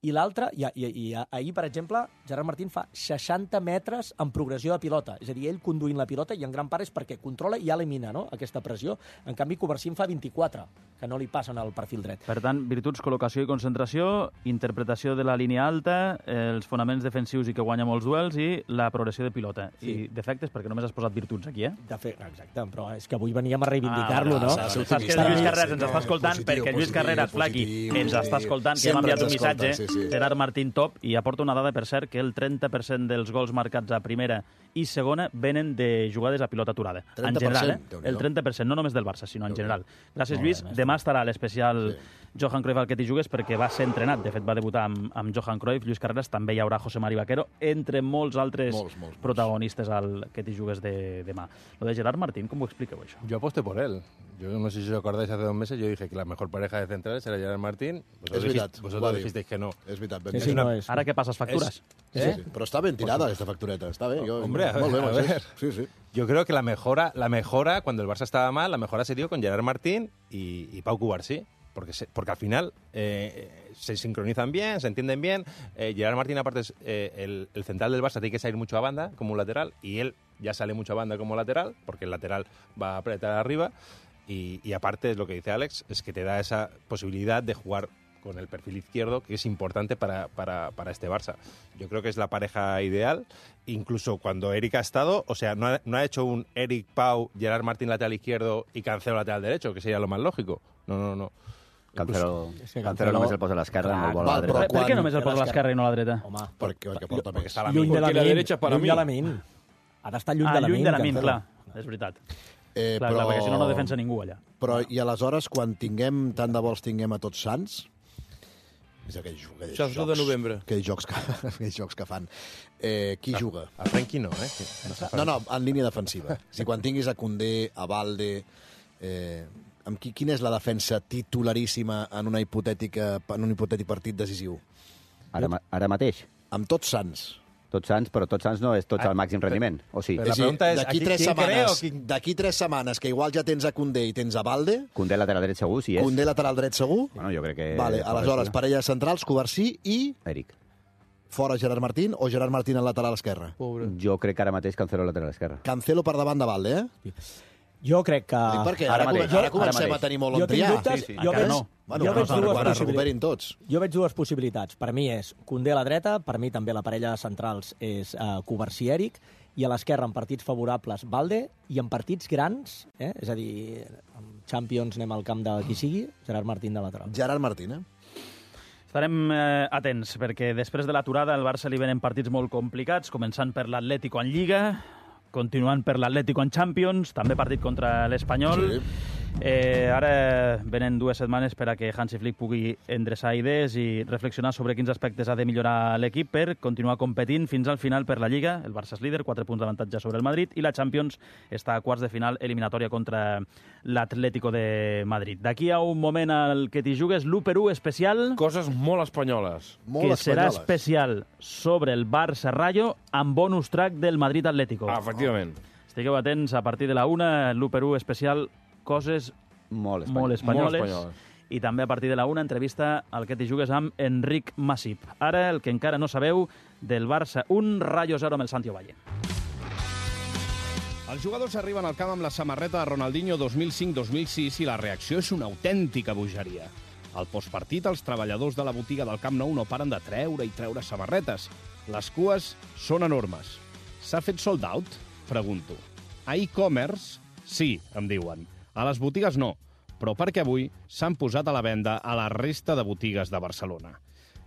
I l'altre, i, i, i ahir, per exemple, Gerard Martín fa seixanta metres en progressió de pilota. És a dir, ell conduint la pilota, i en gran part és perquè controla i ja elimina, no?, aquesta pressió. En canvi, Covarsí en fa vint-i-quatre, que no li passen al perfil dret. Per tant, virtuts, col·locació i concentració, interpretació de la línia alta, els fonaments defensius i que guanya molts duels, i la progressió de pilota. Sí. I defectes, perquè només has posat virtuts aquí, eh? De fet, exacte, però és que avui veníem a reivindicar-lo, ah, no? Saps que el Lluís Carreras ens està escoltant, positiu, perquè Lluís Carreras, Flaqui, ens està escoltant, que hem enviat un missatge. Sí, sí. Gerard Martín top, i aporta una dada, per cert, que el trenta per cent dels gols marcats a primera i segona venen de jugades a pilota aturada. En general, eh? El trenta per cent, no només del Barça, sinó en general. Gràcies, Lluís. Demà estarà l'especial Johan Cruyff al que t'hi jugues, perquè va ser entrenat. De fet, va debutar amb, amb Johan Cruyff, Lluís Carreras, també hi haurà José Mari Vaquero, entre molts altres molts, molts, protagonistes al que t'hi jugues de demà. Lo de Gerard Martín, ¿cómo expliqueu això? Yo aposté por él. Yo no sé si os acordáis, hace dos meses yo dije que la mejor pareja de centrales era Gerard Martín. Es veritat. Vosotros dijisteis que no. És veritat. Sí, sí, no és. Ara que passes factures. Es, eh? sí, sí. Però està ben tirada aquesta factureta, està bé. Yo, Hombre, a ver, molt bé, a ver. Sí, sí. Yo creo que la mejora, la mejora, cuando el Barça estaba mal, la mejora se dio con Gerard Martín y, y Pau Covarsí. Porque, se, porque al final eh, se sincronizan bien, se entienden bien. Eh, Gerard Martín, aparte, es eh, el, el central del Barça, tiene que salir mucho a banda como un lateral, y él ya sale mucho a banda como lateral, porque el lateral va a apretar arriba. Y, y aparte, es lo que dice Alex, es que te da esa posibilidad de jugar con el perfil izquierdo, que es importante para, para, para este Barça. Yo creo que es la pareja ideal, incluso cuando Eric ha estado, o sea, no ha, no ha hecho un Eric Pau, Gerard Martín lateral izquierdo y Cancelo lateral derecho, que seria lo más lógico. No, no, no. Cancelo, És que Cancelo, Cancelo només el posa a l'esquerra, no el vol a la Val, dreta. però Per, per què només el a posa a l'esquerra i no a la dreta? Home, Perquè, perquè porta més. Està la lluny de la Porque la min, derecha para lluny mí. de la min. Ha d'estar lluny Ah, de la min. lluny de la min, Cancelo. clar. És veritat. Eh, Clar, però... clar, perquè si no, no defensa ningú allà. Però, i aleshores, quan tinguem, tant de vols tinguem a Tots Sants, és aquells, aquells Això és jocs, de novembre. Aquells jocs que, aquells jocs que fan. Eh, qui A- juga? a Frenkie no, eh? No, no, en línia defensiva. Si quan tinguis a Koundé, a Balde... Eh, amb qui, quina és la defensa titularíssima en, una hipotètica, en un hipotètic partit decisiu? Ara, ma- ara mateix? Amb Tots Sants. Tots Sants, però Tots Sants no és tots al màxim rendiment, o sí? És a dir, d'aquí tres setmanes, d'aquí tres setmanes, que igual ja tens a Koundé i tens a Balde... Koundé lateral dret segur, si és. Koundé lateral dret segur? Bueno, jo crec que... Vale, aleshores, parelles centrals, Covarsí i... Eric. Fora Gerard Martín o Gerard Martín al lateral esquerre? Jo crec que ara mateix Cancelo lateral esquerre. Cancelo per davant de Balde, eh? Jo crec que... Dic perquè ara, ara, mateix, ara comencem ara a tenir molt jo on triar. tinc dubtes, Sí, sí. jo Encara veig, no. Bueno, jo quan veig es dues quan es possibilitats. recuperin tots. Jo veig dues possibilitats. Per mi és Koundé a la dreta, per mi també la parella centrals és uh, Covarsí Eric, i a l'esquerra en partits favorables Balde, i en partits grans, eh? És a dir, en Champions anem al camp de qui sigui, Gerard Martín de lateral. Gerard Martín, eh? Estarem eh, atents, perquè després de l'aturada al Barça li venen partits molt complicats, començant per l'Atlético en Lliga, continuant per l'Atlético en Champions, també partit contra l'Espanyol. Sí. Eh, ara venen dues setmanes per a que Hansi Flick pugui endreçar idees i reflexionar sobre quins aspectes ha de millorar l'equip per continuar competint fins al final per la Lliga. El Barça és líder, quatre punts d'avantatge sobre el Madrid, i la Champions està a quarts de final eliminatòria contra l'Atlético de Madrid. D'aquí a un moment al que t'hi jugues, l'u per u especial... Coses molt espanyoles. que serà especial sobre el Barça-Rayo amb bonus track del Madrid-Atlético. Ah, efectivament. Estigueu atents, a partir de la una, l'u per u especial, coses molt, espanyol. molt espanyoles. Molt espanyoles. I també a partir de la una, entrevista al que t'hi jugues amb Enric Masip. Ara, el que encara no sabeu, del Barça un, Rayo zero amb el Santi Ovalle. Els jugadors arriben al camp amb la samarreta de Ronaldinho dos mil cinc dos mil sis i la reacció és una autèntica bogeria. Al postpartit, els treballadors de la botiga del Camp Nou no paren de treure i treure samarretes. Les cues són enormes. S'ha fet sold out? Pregunto. A e-commerce? Sí, em diuen. A les botigues no, però perquè avui s'han posat a la venda a la resta de botigues de Barcelona.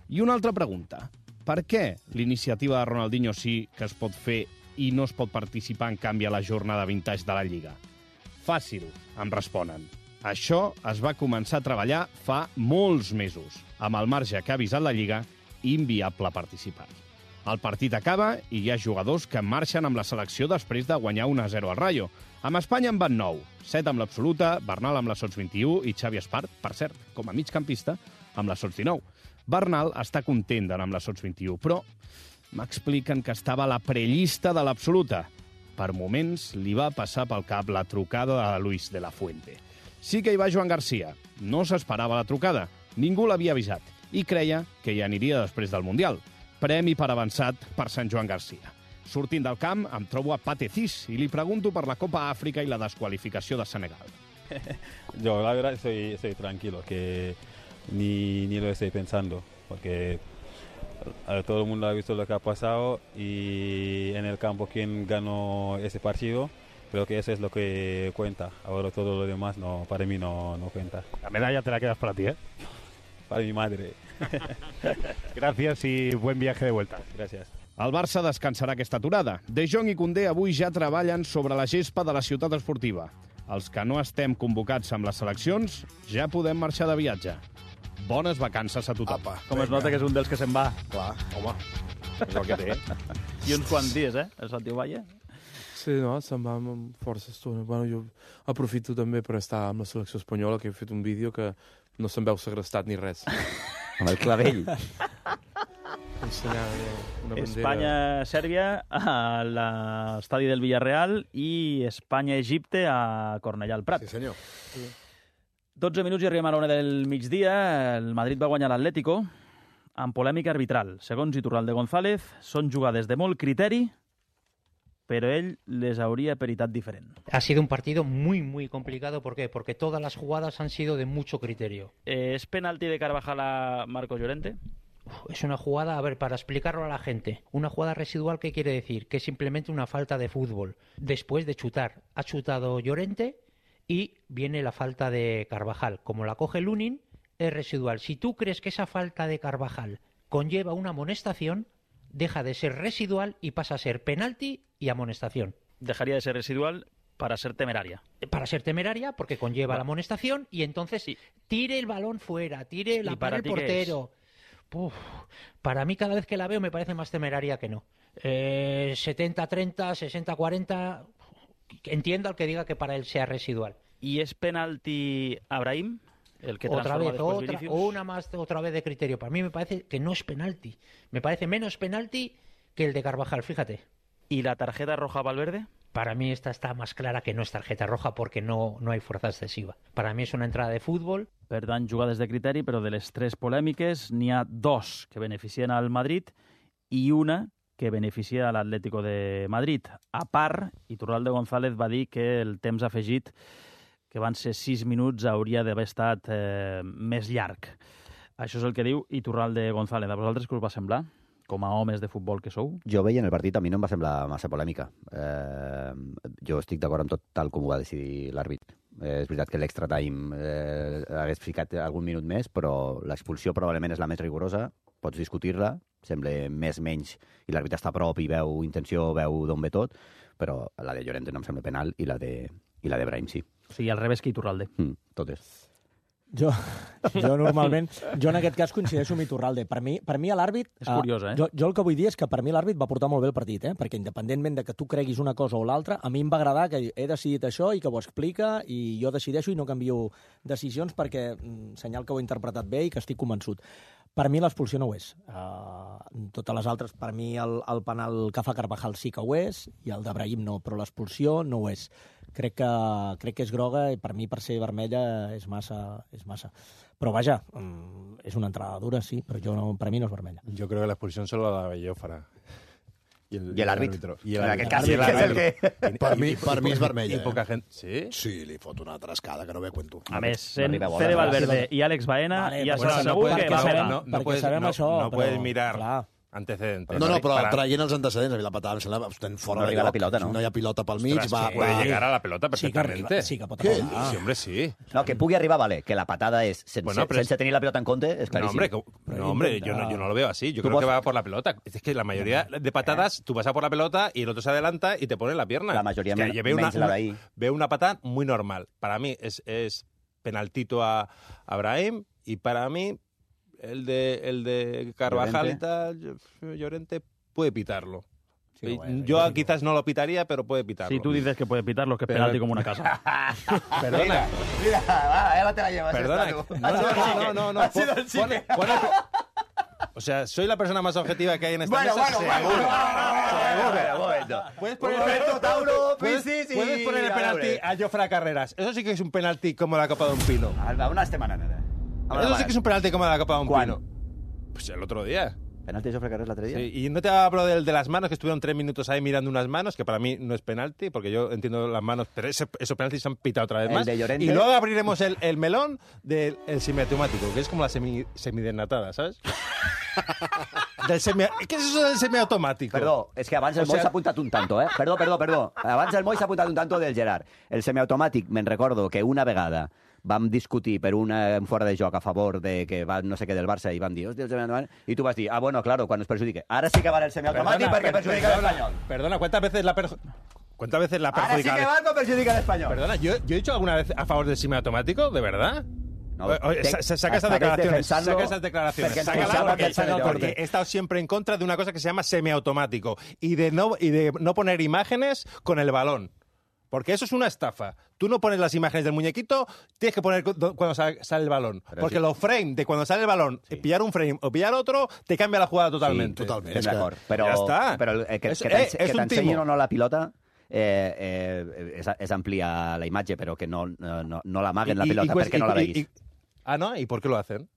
I una altra pregunta. Per què l'iniciativa de Ronaldinho sí que es pot fer i no es pot participar en canvi a la jornada vintage de la Lliga? Fàcil, em responen. Això es va començar a treballar fa molts mesos. Amb el marge que ha avisat la Lliga, inviable participar. El partit acaba i hi ha jugadors que marxen amb la selecció després de guanyar un a zero al Rayo. Amb Espanya en van nou, set amb l'absoluta, Bernal amb la Sots vint-i-u i Xavi Espart, per cert, com a migcampista, amb la Sots dinou. Bernal està content d'anar amb la Sots vint-i-u, però m'expliquen que estava a la prellista de l'absoluta. Per moments li va passar pel cap la trucada de Luis de la Fuente. Sí que hi va Joan Garcia. No s'esperava la trucada. Ningú l'havia avisat i creia que hi aniria després del Mundial. Premi per avançat per Sant Joan Garcia. Sortint del camp, em trobo a Pate Cis i li pregunto per la Copa Àfrica i la desqualificació de Senegal. Yo la verdad estoy, estoy tranquilo, que ni, ni lo estoy pensando, porque a todo el mundo ha visto lo que ha pasado y en el campo quien ganó ese partido, creo que eso es lo que cuenta. Ahora todo lo demás no, para mí no, no cuenta. La medalla te la quedas para ti, ¿eh? Para mi madre. Gracias y buen viaje de vuelta. Gracias. El Barça descansarà aquesta aturada. De Jong i Koundé avui ja treballen sobre la gespa de la ciutat esportiva. Els que no estem convocats amb les seleccions ja podem marxar de viatge. Bones vacances a tothom. Apa, Com es nota que és un dels que se'n va. Clar. Home, és el que té. I uns quants dies, eh, el Santi Ovalle. Sí, no, se'n va amb força estona. Bueno, jo aprofito també per estar amb la selecció espanyola, que he fet un vídeo que no se'n veu segrestat ni res. Amb el clavell. Ensenyar una bandera. Espanya-Sèrbia a l'estadi del Villarreal i Espanya-Egipte a Cornellà al Prat. Sí, senyor. dotze minuts i arribem a l'una del migdia. El Madrid va guanyar l'Atlético amb polèmica arbitral. Segons Iturralde González, són jugades de molt criteri, pero él les habría peritat diferent. Ha sido un partido muy, muy complicado. ¿Por qué? Porque todas las jugadas han sido de mucho criterio. Eh, ¿Es penalti de Carvajal a Marcos Llorente? Uf, es una jugada, a ver, para explicarlo a la gente, una jugada residual, ¿qué quiere decir? Que es simplemente una falta de fútbol. Después de chutar, ha chutado Llorente y viene la falta de Carvajal. Como la coge Lunin, es residual. Si tú crees que esa falta de Carvajal conlleva una amonestación, deja de ser residual y pasa a ser penalti y amonestación. Dejaría de ser residual, Para ser temeraria. Para ser temeraria, porque conlleva la amonestación, y entonces tire el balón fuera, tire la para el portero. Uf, para mí, cada vez que la veo, me parece más temeraria que no. Eh, setenta treinta, sesenta cuarenta... Entiendo al que diga que para él sea residual. ¿Y es penalti a Brahim? El que otra vez, otra, Vinicius. o una más otra vez de criterio. Para mí me parece que no es penalti. Me parece menos penalti que el de Carvajal, fíjate. ¿Y la tarjeta roja a Valverde? Para mí esta está más clara que no es tarjeta roja porque no, no hay fuerza excesiva. Para mí es una entrada de fútbol. Per tant, jugades de criteri, però de les tres polèmiques n'hi ha dos que beneficien al Madrid i una que beneficia a l'Atlético de Madrid. A part, Iturralde González va dir que el temps afegit, que van ser sis minuts, hauria d'haver estat eh, més llarg. Això és el que diu Iturralde González. A vosaltres què us va semblar? Com a homes de futbol que sou? Jo veia en el partit, a mi no em va semblar massa polèmica. Eh, jo estic d'acord amb tot tal com ho va decidir l'àrbit. Eh, és veritat que l'extra time eh, hagués ficat algun minut més, però l'expulsió probablement és la més rigorosa. Pots discutir-la, sembla més menys, i l'àrbit està a prop i veu intenció, veu d'on ve tot, però la de Llorente no em sembla penal i la de, i la de Brahim sí. O sigui, al revés que Iturralde. Mm, totes. Jo, jo normalment, jo en aquest cas coincideixo amb Iturralde. Per mi, per mi a l'àrbit... És curiós, eh? Jo, jo el que vull dir és que per mi l'àrbit va portar molt bé el partit, eh? Perquè independentment de que tu creguis una cosa o l'altra, a mi em va agradar que he decidit això i que ho explica i jo decideixo i no canvio decisions perquè mm, senyal que ho he interpretat bé i que estic convençut. Per mi l'expulsió no ho és. Uh, totes les altres, per mi el, el penal que fa Carvajal sí que ho és i el de Brahim no, però l'expulsió no ho és. Crec que, crec que és groga i per mi, per ser vermella, és massa. És massa. Però vaja, és una entrada dura, sí, però jo no, per mi no és vermella. Jo crec que l'expulsió solo la de Bellófara. I l'àrbit. I en aquest cas, és el que... Per mi, per mi és vermella. I poca gent... Sí? Sí, li fot una trascada que no ve cuento. A més, sent Fede Valverde i Àlex Baena, vale, ja bueno, s'ha no segur puedes, que va sabem, pegar. No, no perquè puedes, sabem no, això, no però, puedes mirar clar. antecedentes. No, no, però para... traient els antecedents, a mi la patada em sembla estem fora No de arriba lloc. la pilota, no? No hi ha pilota pel mig. Ostras, Va, que puede va. llegar a la pelota Sí que perfectamente. arriba, sí que pot Què? arribar. Sí, hombre, sí. No, que pugui arribar, vale, que la patada és sense, Bueno, pero sense tenir la pilota en compte, és No, claríssim. hombre, que- no, hombre yo, no, yo no lo veo así. Yo Tú creo que vos- va por la pelota. Es que la mayoría de patadas, tú vas a por la pelota y el otro se adelanta y te pone en la pierna. La mayoría Es que men- yo veo una, menys la una- d'ahí. veo una patada muy normal. Para mí es, es penaltito a, a Brahim y para mí el de, el de Carvajal Llorente. y tal, yo- Llorente puede pitarlo. Sí, Y bueno, yo lógico. quizás no lo pitaría, pero puede pitarlo. Si tú dices que puede pitarlo, que es Pero- penalti como una casa. Perdona. Mira, va, ya te la llevas. Perdona. esta, tú. No, no, no, no, no. Ha sido Pon- el chique. pon- pon el- O sea, soy la persona más objetiva que hay en esta Bueno, mesa. bueno, bueno, seguro. bueno, bueno, un momento. Puedes poner, Roberto, Tauro, puedes, Pisis y puedes poner el penalti Gabriel. a Jofre Carreras. Eso sí que es un penalti como la Copa de un Pino. Alba, una setmana nada. Eso sí que es un penalti como la Copa de un ¿Cuán? Pino. Pues el otro día. Penalti de Jofre Carreras l'altre dia? Sí, y no te hablo del de las manos, que estuvieron tres minutos ahí mirando unas manos, que para mí no es penalti, porque yo entiendo las manos, pero ese, esos penaltis se han pitado otra vez El más. de Llorente. Y luego abriremos el, el melón del el semiautomático, que es como la semi, semidesnatada, ¿sabes? del semi, ¿Qué es eso del semiautomático? Perdó, és que abans el O Moi sea- s'ha apuntat un tanto, eh? Perdó, perdó, perdó. Abans el Moi s'ha apuntat un tanto del Gerard. El semiautomàtic, me'n recordo que una vegada vam discutir per una un fora de joc a favor de que va no sé què del Barça i vam dir, hòstia, el semiautomàtic, i tu vas dir, ah, bueno, claro, quan us perjudique. Ara sí que va el semiautomàtic perquè per- perjudica perdona, l'Espanyol. Perdona, ¿cuántas veces la perju- ¿Cuántas veces la Ara sí perjudica? que va quan perjudica l'Espanyol. Perdona, ¿yo, ¿yo he dicho alguna vez a favor del semiautomático? ¿De verdad? No, Oye, oye, te- sa- sa- saca esas estaves declaraciones, defensando saca esas declaraciones, porque sácala, pensaba porque que el San Jordi- he estado siempre en contra de una cosa que se llama semiautomático y de no y de no poner imágenes con el balón. Porque eso es una estafa. Tú no pones las imágenes del muñequito, tienes que poner cu- cuando sale, sale el balón. Pero Porque sí. los frames de cuando sale el balón, pillar un frame o pillar otro, te cambia la jugada totalmente. Sí, totalment. Estem d'acord. Però, Ja està. però el- que, És- que eh, t'ense- és que un t'ensenyin timo. o no la pilota eh, eh, és, és ampliar la imatge, però que no, no, no l'amaguen la Y- y- pilota y pues- perquè no la y- veguis. y- Ah, ¿no? ¿Y por qué lo hacen?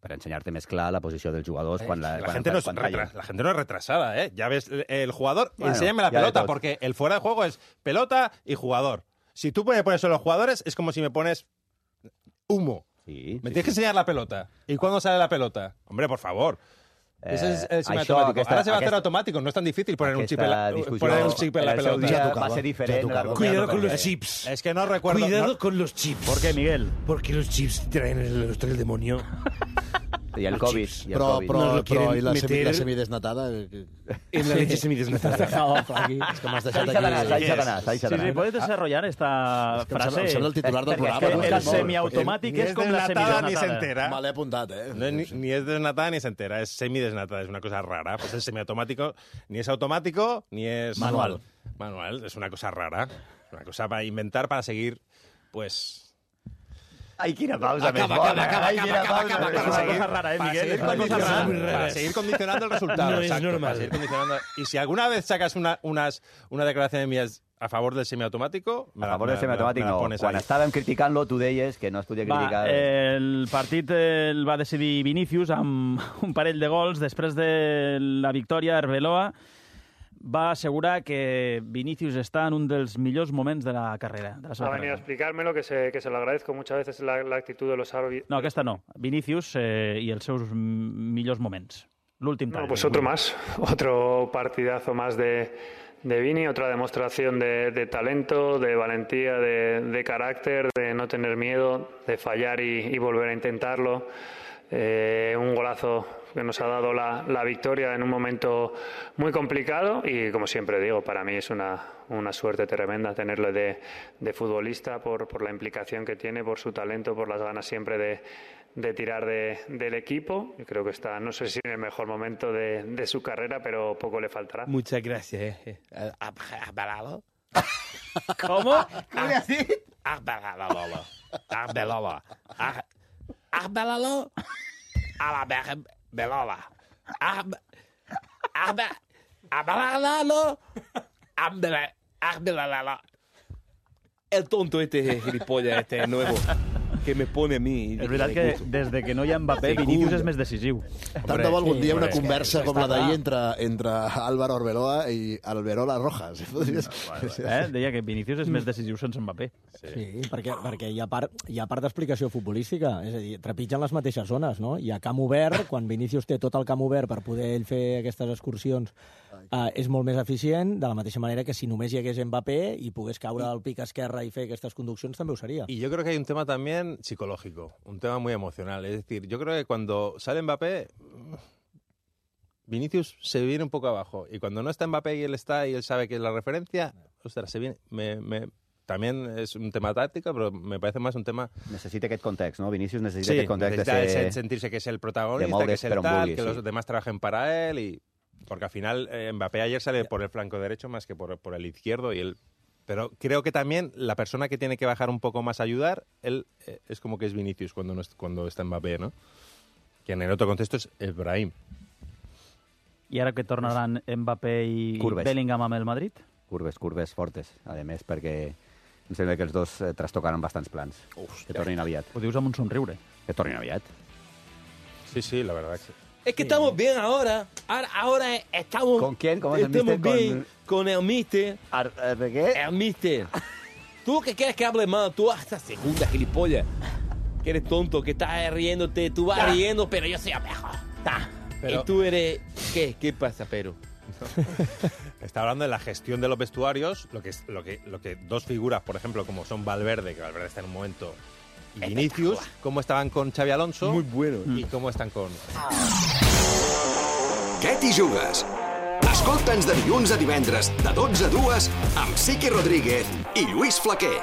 Per ensenyar-te més clar la posició dels jugadors quan la, La quan, gente, no es quan retra- ratllen. la gente no es retrasada, ¿eh? Ya ves, el- el jugador, Bueno, enséñame la ya de pelota, todo. porque el fuera de juego es pelota y jugador. Si tú me pones solo los jugadores, es como si me pones humo. Sí, me sí, tienes que enseñar la pelota. ¿Y cuándo sale la pelota? Hombre, por favor. Ese es el això, semiautomático. aquesta- Ahora se va a hacer aquesta- automático, no es tan difícil poner un chip en la, Aquesta discussió poner un chip en la en el seu pelota. dia Ya va tocaba, ser diferent. ya tocaba. la- Cuidado la- con los eh, chips. Es que no recuerdo... Cuidado no- con los chips. ¿Por qué, Miguel? Porque los chips traen el, los trae el demonio. I el Covid. I el Però, COVID. però, No lo però quieren i la, semi, meter la semidesnatada? En la leche semidesnatada. És que m'has deixat aquí... S'ha deixat anar, s'ha deixat Sí, sí, anar. puedes desarrollar esta És que em frase. sembla- em sembla el titular del Perquè programa, és no? que el Molt. semiautomàtic Ni és es com la desnatada ni se semidesnatada. entera. Me l'he apuntat, eh? No, ni, ni es desnatada ni se entera, es semidesnatada, es una cosa rara. Pues el semiautomático ni es automático ni es... Manual. Manual, es una cosa rara. Una cosa para inventar, para seguir, pues... Ai, quina pausa Acaba, més bona. acaba, Ai, acaba, quina acaba, pausa acaba, més acaba, bona. És una cosa rara, eh, Para Miguel? seguir, És una cosa condicionando, rara. para seguir condicionando el resultado. No es exacto, normal. para seguir condicionando. Y si alguna vez sacas una, unas, una declaración de mías a favor del semiautomático, me A la- favor me del la- semiautomàtic me la no. pones Quan ahí. estàvem criticant-lo, tu deies que no es podia Va, criticar... el partit el va decidir Vinícius amb un parell de gols. Després de la victòria, Arbeloa va assegurar que Vinícius està en un dels millors moments de la carrera. De la seva Ha venido a carrera. explicármelo, que se, que se lo agradezco muchas veces la, la actitud de los árbitros. No, aquesta no. Vinícius eh, i els seus millors moments. L'últim No, tall. pues otro más, otro partidazo más de, de Vini, otra demostración de, de talento, de valentía, de, de carácter, de no tener miedo, de fallar y, y volver a intentarlo. Eh, un golazo que nos ha dado la, la victoria en un momento muy complicado y, como siempre digo, para mí es una, una suerte tremenda tenerlo de, de futbolista por, por la implicación que tiene, por su talento, por las ganas siempre de, de tirar de, del equipo. Y creo que está, no sé si en el mejor momento de, de su carrera, pero poco le faltará. Muchas gracias. Eh. ¿Has parado? ¿Cómo? ¿Qué le has dicho? Has parado. Has parado. Has parado. A la vez, Belola. Has parado. Has parado. El tonto este gilipollas, este nuevo, que me pone a mí... És veritat que des de que no hi ha Mbappé, Vinícius és més decisiu. Tant de bo algun dia una Hombre, conversa és que com la està d'ahir clar. entre, entre Álvaro Arbeloa i Alberola Rojas. Eh? Deia que Vinícius és més decisiu sense Mbappé. Sí, perquè, perquè hi ha part, hi ha part d'explicació futbolística. És a dir, trepitgen les mateixes zones, no? Hi ha camp obert, quan Vinícius té tot el camp obert per poder ell fer aquestes excursions, eh, és molt més eficient, de la mateixa manera que si només hi hagués Mbappé i pogués caure al pic esquerre i fer aquestes conduccions, també ho seria. Y yo creo que hay un tema también psicológico, un tema muy emocional. Es decir, yo creo que cuando sale Mbappé, Vinicius se viene un poco abajo. Y cuando no está Mbappé y él está y él sabe que es la referencia, ostras, se viene... Me, me, también es un tema táctico, pero me parece más un tema... Necessita aquest context, no? Vinícius necessita Sí, aquest context necesita de ser... ese- sentirse que es el de protagonista, moure's que es el per on tal, vulgui, que sí. los demás trabajen para él. Y... Porque al final eh, Mbappé ayer sale por el flanco derecho más que por, por el izquierdo y él... Pero creo que también la persona que tiene que bajar un poco más a ayudar, él eh, es como que es Vinicius cuando, no es- cuando está Mbappé, ¿no? Que en el otro contexto es Ibrahim. I ara que tornaran Mbappé i Curves. Bellingham amb el Madrid? Curves, curves fortes, a més, perquè em sembla que els dos eh, trastocaran bastants plans. Uf, que tornin aviat. Ho dius amb un somriure. Que tornin aviat. Sí, sí, la verdad que sí. Es que estamos bien ahora. Ahora, ahora estamos... ¿Con quién? ¿Cómo es el Estamos mister? bien con el mister. ¿De qué? El mister. ¿Tú que quieres que hable más? Tú hasta segunda, gilipollas. Que eres tonto, que estás riéndote. Tú vas Ya. riendo, pero yo soy el mejor. Ta. Pero- Y tú eres... ¿Qué? ¿Qué pasa, pero? Está hablando de la gestión de los vestuarios, lo que, es, lo, que, lo que dos figuras, por ejemplo, como son Valverde, que Valverde está en un momento, y Vinicius, cómo estaban con Xavi Alonso. Muy bueno. Y cómo están con... Què t'hi jugues? Escolta'ns de dilluns a divendres, de dotze a dues, amb Siqui Rodríguez i Lluís Flaquer.